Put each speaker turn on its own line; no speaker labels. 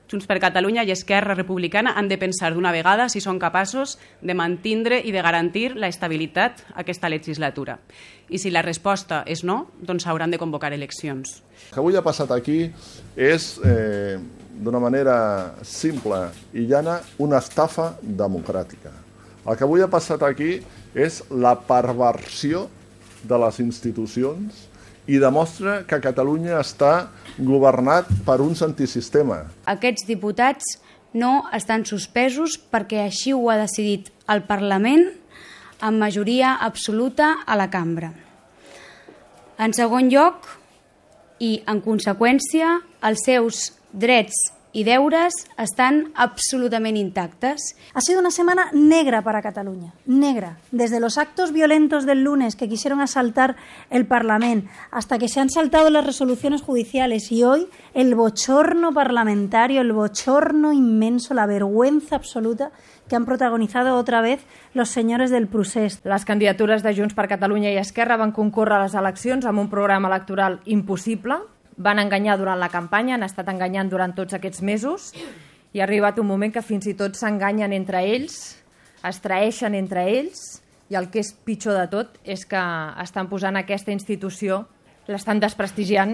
Junts per Catalunya i Esquerra Republicana han de pensar d'una vegada si són capaços de mantindre i de garantir l'estabilitat aquesta legislatura. I si la resposta és no, doncs s'hauran de convocar eleccions.
El que avui ha passat aquí és, d'una manera simple i llana, una estafa democràtica. El que avui ha passat aquí és la perversió de les institucions i demostra que Catalunya està governat per uns antisistema.
Aquests diputats no estan suspesos perquè així ho ha decidit el Parlament amb majoria absoluta a la cambra. En segon lloc, i en conseqüència, els seus drets y deures están absolutamente intactas.
Ha sido una semana negra para Cataluña, negra. Desde los actos violentos del lunes que quisieron asaltar el Parlamento hasta que se han saltado las resoluciones judiciales y hoy el bochorno parlamentario, el bochorno inmenso, la vergüenza absoluta que han protagonizado otra vez los señores del procés.
Les candidatures de Junts per Catalunya i Esquerra van concórrer a les eleccions amb un programa electoral impossible. Van enganyar durant la campanya, han estat enganyant durant tots aquests mesos i ha arribat un moment que fins i tot s'enganyen entre ells, es traeixen entre ells i el que és pitjor de tot és que estan posant aquesta institució, l'estan desprestigiant